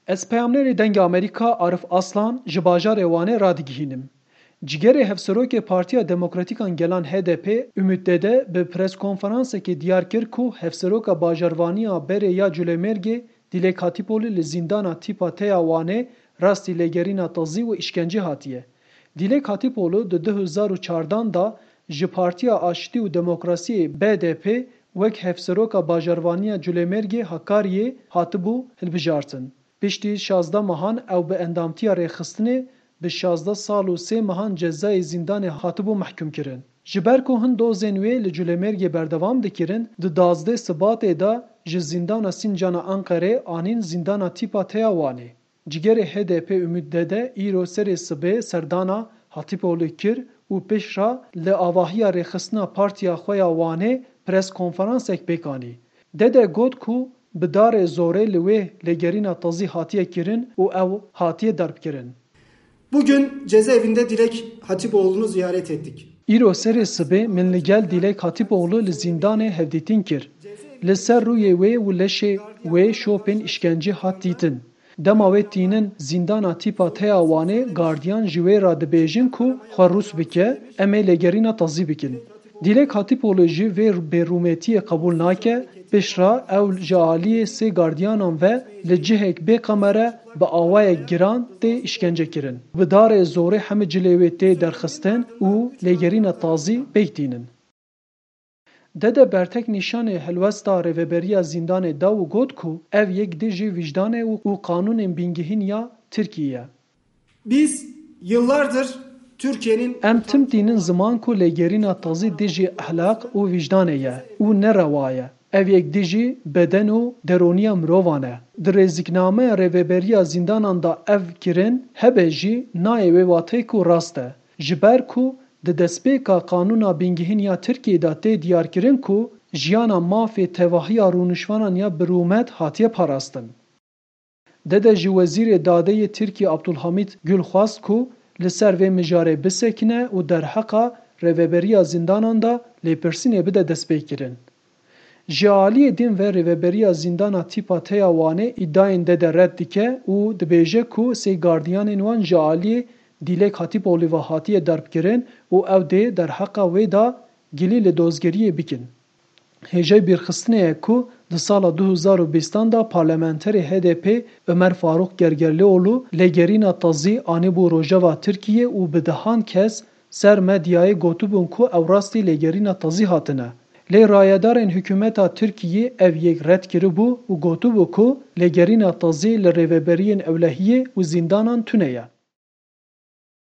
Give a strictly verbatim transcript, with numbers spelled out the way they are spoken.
Ez peyamnerê Dengê Amerîka Arif Aslan ji bajarê Wanê radigihînim. Cîgerê Hevserokê Partiya Demokratîkan Gelan H D P Umut Dede bi preskonferansekê diyar kir ku Hevseroka Bajarvaniya berê ya Culemêrgê Dîlek Hatîpoglu li zîndana tîpa T ya Wanê rastî lêgerîna tazî û îşkencê hatiye. Dîlek Hatîpoglu di du hezar û çardan de ji Partiya Aştî û Demokrasiyê B D P wek Hevseroka Bajarvaniya Culemêrgê Hakariyê hatibû hilbijartin. Piştî şazdeh mehan ew bi endamtiya rêxistinê bi şazdeh sal û sê mehan cezayê zîndanê hatibû mehkûmkirin. Ji ber ku hin dozên wê li Culemêrgê berdewam dikirin, di duwazdeh Sibatê de ji zîndana Sîncana Enqerê anîn zîndana tîpa T ya Wanê. Cîgerê H D P Umut Dede îro serê sibê serdana Hatîpoglu kir û piştre li avahiya rêxistina partiya xwe ya Wanê preskonferansek pêk anî. Dede got ku bi darê zorê li wê lêgerîna tazî hatiye kirin û ew hatiye derbkirin. Bugün cezaevinde Dilek Hatipoğlu'nu ziyaret ettik. Îro serê sibê min li gel Dîlek Hatîpoglu li zîndanê hevdîtin kir. Li ser rûyê wê û leşê wê şopên îşkencê hat dîtin. Dema wê tînin zîndana tîpa T ya Wanê, gardiyan ji wê re dibêjin ku xwe rûs bike, em ê lêgerîna tazî bikin. Dîlek Hatîpoglu jî vê bêrûmetiyê qebûl nake, piştre ew ji aliyê sê gardiyanan ve li cihek bê qemere bi awayek giran tê îşkence kirin. Bi darê zorê hemî cilê wê tê derxistin û lêgerîna tazî pêk tînin. Dede bertek nîşanê helwesta rêveberiya zîndanê da û got ku ev yek dijî wijdanê û, û qanûnên bingehîn ya Tirkiyê ye. Biz yıllardır Türkiye'nin Em tim tînin ziman ku lêgerîna tazî dijî ehlaq û wijdanê ye û ne rewa ye. Ev yek dijî beden û deroniya mirovan e. Di rêziknameya rêveberiya zîndanan de ev kirin hebe jî nayê wê wateyê ku rast e. Ji ber ku di destpêka qanûna bingehîn ya Tirkiyê de tê diyarkirin ku jiyana mafê tevahiya rûniştvanan ya bi rûmet hatiye parastin. Dede ji Wezîrê Dadê yê Tirkiyê Abdulhamît Gül xwest ku li ser vê mijarê bisekine û derheqa rêveberiya zîndanan de lêpirsînê bide destpêkirin. Ji aliyê din ve rêveberiya zîndana tîpa T ya Wanê îdiayên Dede red dike û dibêje ku sê gardiyanên wan ji aliyê Dîlek Hatîpoglu ve hatiye derbkirin û ew dê derheqa wê de gilî li dozgeriyê bikin. Hêjayî bîrxistinê ye ku di sala du hezar û bîstan de parlamenterê H D P Ömer Faruk Gergerlioğlu lêgerîna tazî anîbû rojeva Tirkiyê û bi dehan kes ser medyayê gotibûn ku ew rastî lêgerîna tazî hatine. Lê rayedarên hikûmeta Tirkiyê ev yek red kiribû û gotibû ku lêgerîna tazî li rêveberiyên ewlehiyê û zîndanan tune ye.